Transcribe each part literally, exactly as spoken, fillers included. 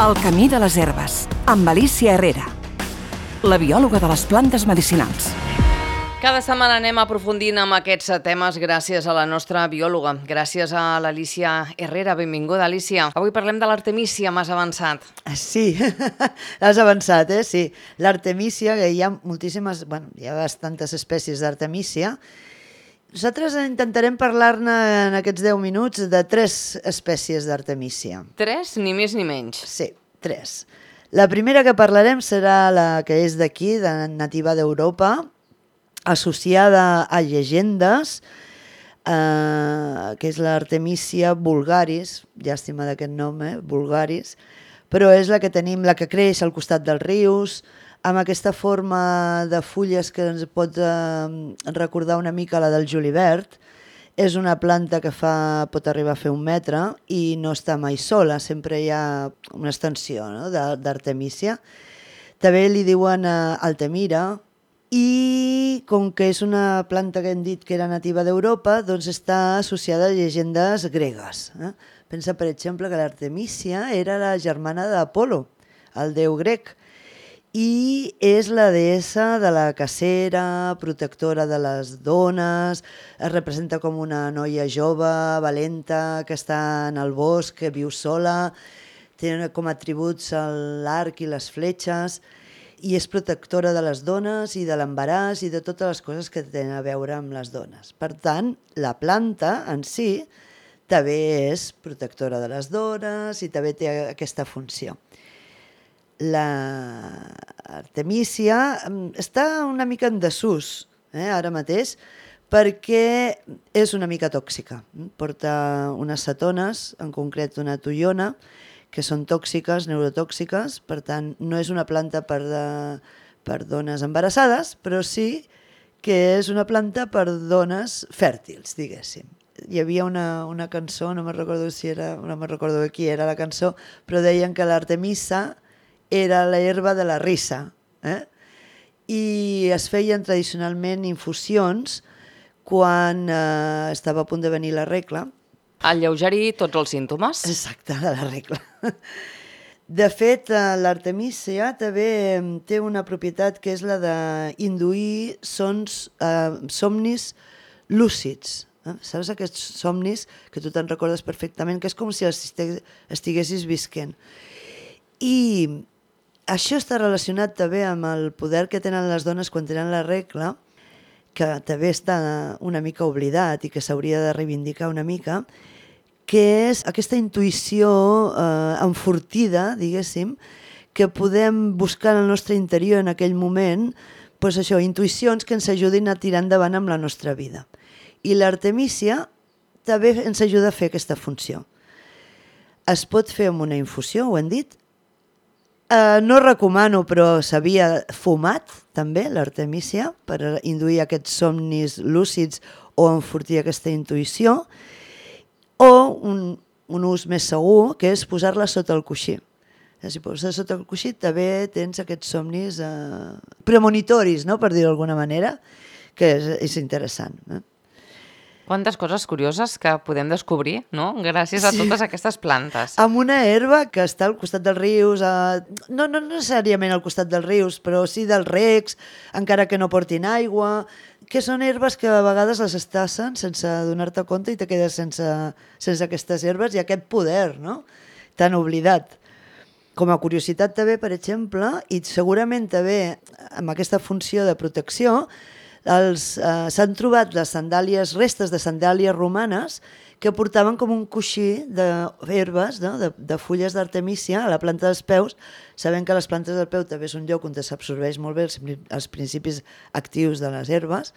El camí de les herbes, amb Alícia Herrera, la biòloga de les plantes medicinals. Cada setmana anem aprofundint amb aquests temes gràcies a la nostra biòloga, gràcies a l'Alícia Herrera. Benvinguda, Alícia. Avui parlem de l'artemícia, m'has avançat. Sí, has avançat, eh? Sí. L'artemícia, que hi ha moltíssimes, bueno, hi ha bastantes espècies d'artemícia. Nosaltres intentarem parlar-ne en aquests deu minuts de tres espècies d'artemícia. Tres, ni més ni menys. Sí, tres. La primera que parlarem serà la que és d'aquí, de nativa d'Europa, associada a llegendes, eh, que és l'artemícia vulgaris, llàstima d'aquest nom, eh? vulgaris, però és la que tenim, la que creix al costat dels rius, amb aquesta forma de fulles que ens pot eh, recordar una mica la del julivert. És una planta que fa, pot arribar a fer un metre i no està mai sola, sempre hi ha una extensió, no? d'artemícia. També li diuen eh, altemira, i com que és una planta que hem dit que era nativa d'Europa, doncs està associada a llegendes gregues. Eh? Pensa, per exemple, que l'artemícia era la germana d'Apolo, el déu grec, i és la deessa de la cacera, protectora de les dones, es representa com una noia jove, valenta, que està en el bosc, que viu sola, té com a atributs l'arc i les fletxes, i és protectora de les dones i de l'embaràs i de totes les coses que tenen a veure amb les dones. Per tant, la planta en si també és protectora de les dones i també té aquesta funció. L'artemícia està una mica en desús eh, ara mateix perquè és una mica tòxica. Porta unes cetones, en concret una toiona, que són tòxiques, neurotòxiques, per tant no és una planta per, de, per dones embarassades, però sí que és una planta per dones fèrtils, diguéssim. Hi havia una, una cançó, no me'n recordo si era, no me'n recordo de qui era la cançó, però deien que l'artemisa era l'herba de la risa, eh? I es feien tradicionalment infusions quan eh, estava a punt de venir la regla. Alleugerir tots els símptomes. Exacte, de la regla. De fet, l'artemícia també té una propietat que és la d'induir sons, eh, somnis lúcids. Eh? Saps aquests somnis que tu te'n recordes perfectament, que és com si estiguessis visquent. I això està relacionat també amb el poder que tenen les dones quan tenen la regla, que també està una mica oblidat i que s'hauria de reivindicar una mica, que és aquesta intuïció eh, enfortida, diguéssim, que podem buscar en el nostre interior en aquell moment, doncs això, intuïcions que ens ajudin a tirar endavant amb la nostra vida. I l'artemícia també ens ajuda a fer aquesta funció. Es pot fer amb una infusió, ho hem dit. Uh, no recomano, però s'havia fumat també l'artemícia per induir aquests somnis lúcids o enfortir aquesta intuïció, o un, un ús més segur, que és posar-la sota el coixí. Si poses sota el coixí també tens aquests somnis uh, premonitoris, no? Per dir-ho d'alguna manera, que és, és interessant. Eh? Quantes coses curioses que podem descobrir, no? Gràcies a totes aquestes plantes. Amb una herba que està al costat dels rius, a... no, no necessàriament al costat dels rius, però sí dels recs, encara que no portin aigua, que són herbes que a vegades les estassen sense donar-te compte i te quedes sense, sense aquestes herbes i aquest poder, no? Tan oblidat. Com a curiositat també, per exemple, i segurament també amb aquesta funció de protecció, Els, eh, s'han trobat les sandàlies, restes de sandàlies romanes que portaven com un coixí d'herbes, no? de, de fulles d'artemícia a la planta dels peus, sabent que les plantes del peu també és un lloc on s'absorbeix molt bé els, els principis actius de les herbes,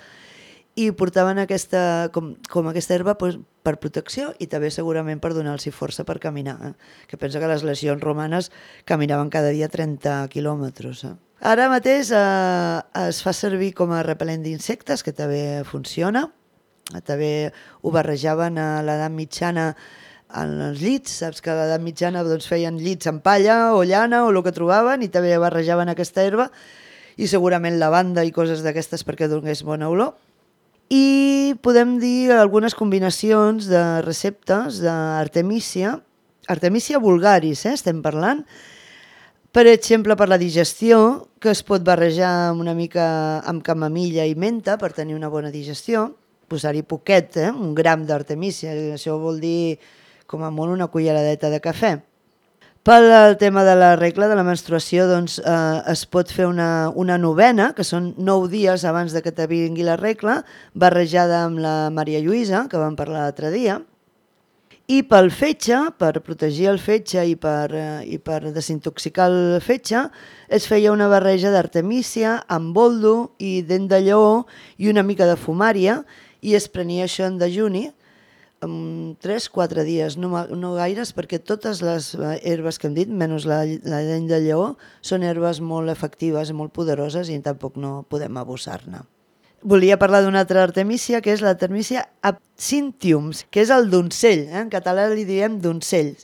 i portaven aquesta, com, com aquesta herba pues, per protecció i també segurament per donar-los força per caminar. Eh? Que pensa que les legions romanes caminaven cada dia trenta quilòmetres. Eh? Ara mateix eh, es fa servir com a repel·lent d'insectes, que també funciona. També ho barrejaven a l'edat mitjana en els llits. Saps que a l'edat mitjana doncs, feien llits amb palla o llana o el que trobaven i també barrejaven aquesta herba i segurament lavanda i coses d'aquestes perquè donés bona olor. I podem dir algunes combinacions de receptes d'artemícia Artemisia vulgaris, eh, estem parlant. Per exemple, per la digestió, que es pot barrejar una mica amb camamilla i menta per tenir una bona digestió, posar-hi poquet, eh, un gram d'artemísia, això vol dir com a molt una culleradeta de cafè. Pel tema de la regla de la menstruació, doncs, eh, es pot fer una, una novena, que són nou dies abans de que te vingui la regla, barrejada amb la Maria Lluïsa, que vam parlar l'altre dia. I pel fetge, per protegir el fetge i per, eh, i per desintoxicar el fetge, es feia una barreja d'artemísia amb boldo i dent de lleó i una mica de fumària, i es prenia això en dejuni, en tres o quatre dies, no, no gaires, perquè totes les herbes que hem dit, menys la, la dent de lleó, són herbes molt efectives, molt poderoses i tampoc no podem abusar-ne. Volia parlar d'una altra artemísia, que és l'artemísia absinthium, que és el doncell, eh? En català li diem doncells.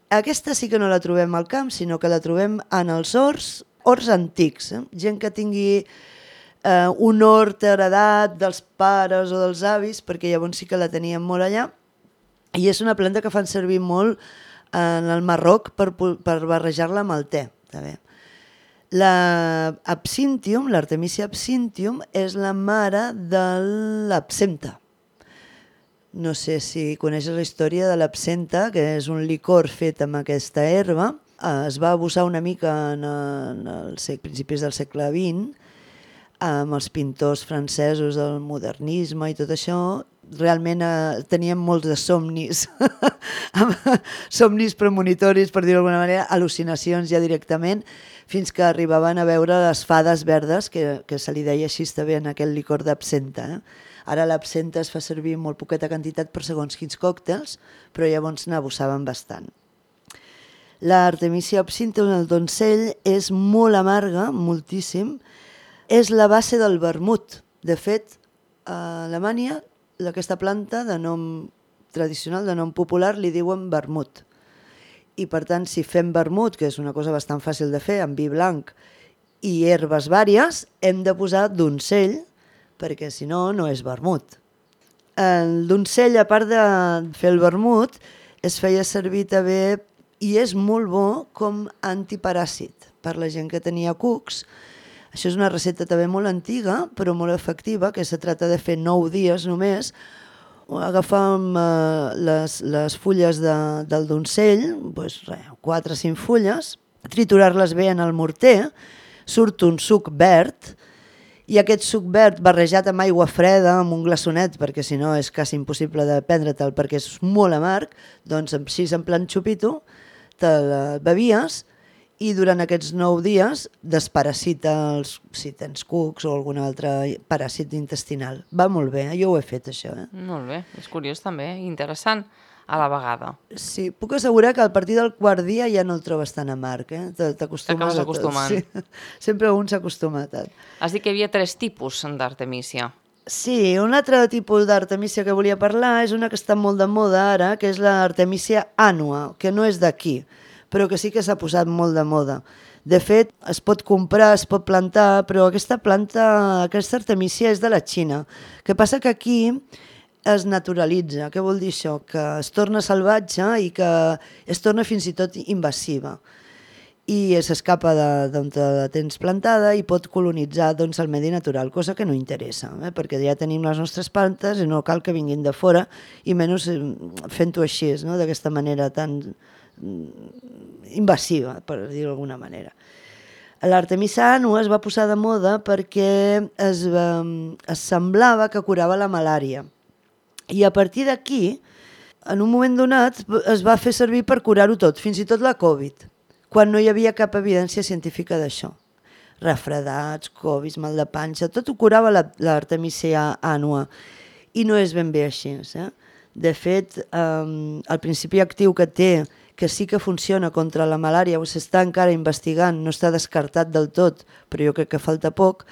Aquesta sí que no la trobem al camp, sinó que la trobem en els horts, horts antics, eh? Gent que tingui Uh, un hort heredat dels pares o dels avis, perquè llavors sí que la teníem molt allà, i és una planta que fan servir molt en el Marroc per, per barrejar-la amb el te. També. La absinthium, l'artemísia absinthium, és la mare de l'absenta. No sé si coneixes la història de l'absenta, que és un licor fet amb aquesta herba. Uh, es va abusar una mica en, en els principis del segle vint, amb els pintors francesos del modernisme i tot això. Realment eh, teníem molts de somnis, somnis premonitoris, per dir-ho d'alguna manera, al·lucinacions ja directament, fins que arribaven a veure les fades verdes, que, que se li deia així també en aquell licor d'absenta. Eh? Ara l'absenta es fa servir molt poqueta quantitat per segons quins còctels, però llavors n'abusaven bastant. L'artemísia absinthium, el doncell, és molt amarga, moltíssim. És la base del vermut. De fet, a Alemanya, aquesta planta de nom tradicional, de nom popular, li diuen vermut. I per tant, si fem vermut, que és una cosa bastant fàcil de fer, amb vi blanc i herbes vàries, hem de posar doncell, perquè si no, no és vermut. El doncell, a part de fer el vermut, es feia servir també, i és molt bo com antiparàsit per la gent que tenia cucs. Això és una recepta també molt antiga, però molt efectiva, que se tracta de fer nou dies només. Agafam eh, les, les fulles de, del doncell, doncs, res, quatre o cinc fulles, triturar-les bé en el morter, surt un suc verd, i aquest suc verd barrejat amb aigua freda, amb un glaçonet, perquè si no és quasi impossible de prendre-te'l perquè és molt amarg, doncs així en plan xupito, te'l bevies, i durant aquests nou dies desparasita els, si tens cucs o algun altre paràsit intestinal. Va molt bé, jo ho he fet això. Eh? Molt bé, és curiós també, interessant a la vegada. Sí, puc assegurar que a partir del quart dia ja no el trobes tan amarg. Eh? T'acabes acostumant. Sí. Sempre un s'acostuma tant. Has dit que hi havia tres tipus d'artemísia. Sí, un altre tipus d'artemísia que volia parlar és una que està molt de moda ara, que és l'artemísia annua, que no és d'aquí, però que sí que s'ha posat molt de moda. De fet, es pot comprar, es pot plantar, però aquesta planta, aquesta artemísia és de la Xina. El que passa que aquí es naturalitza. Què vol dir això? Que es torna salvatge i que es torna fins i tot invasiva. I s'escapa d'on la tens plantada i pot colonitzar doncs, el medi natural, cosa que no interessa, eh? Perquè ja tenim les nostres plantes i no cal que vinguin de fora, i menys fent-ho així, no? D'aquesta manera tan invasiva, per dir-ho d'alguna manera. L'artemísia annua es va posar de moda perquè es, va, es semblava que curava la malària. I a partir d'aquí, en un moment donat, es va fer servir per curar-ho tot, fins i tot la Covid, quan no hi havia cap evidència científica d'això. Refredats, Covid, mal de panxa, tot ho curava l'artemísia annua. I no és ben bé així. Eh? De fet, eh, el principi actiu que té, que sí que funciona contra la malària, o s'està encara investigant, no està descartat del tot, però jo crec que falta poc,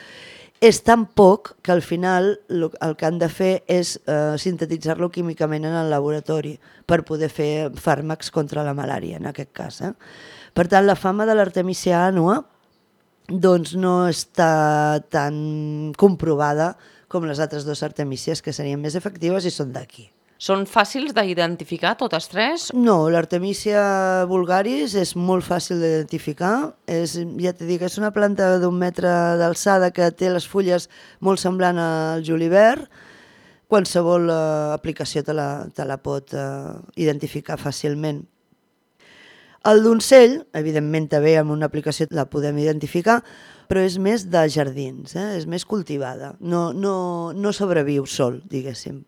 és tan poc que al final el que han de fer és eh, sintetitzar-lo químicament en el laboratori per poder fer fàrmacs contra la malària, en aquest cas. Eh? Per tant, la fama de l'artemísia annua doncs no està tan comprovada com les altres dues artemísies, que serien més efectives i són d'aquí. Són fàcils d'identificar totes tres? No, l'Artemisia vulgaris és molt fàcil d'identificar. És, ja t'he dit que és una planta d'un metre d'alçada que té les fulles molt semblant al julivert. Qualsevol eh, aplicació te la, te la pot eh, identificar fàcilment. El doncell, evidentment també amb una aplicació la podem identificar, però és més de jardins, eh? És més cultivada. No, no, no sobreviu sol, diguéssim.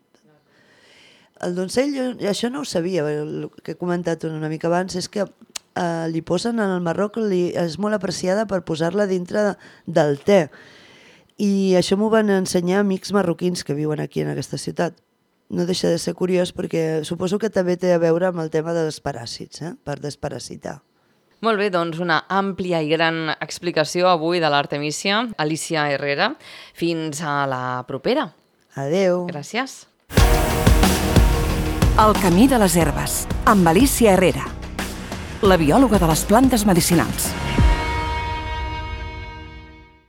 El doncell, jo, això no ho sabia, el que he comentat una mica abans, és que eh, li posen en el Marroc, li, és molt apreciada per posar-la dintre de, del te. I això m'ho van ensenyar amics marroquins que viuen aquí en aquesta ciutat. No deixa de ser curiós perquè suposo que també té a veure amb el tema dels paràsits, eh? Per desparasitar. Molt bé, doncs una àmplia i gran explicació avui de l'Artemisia. Alicia Herrera, fins a la propera. Adeu. Gràcies. El camí de les herbes, amb Alicia Herrera, la biòloga de les plantes medicinals.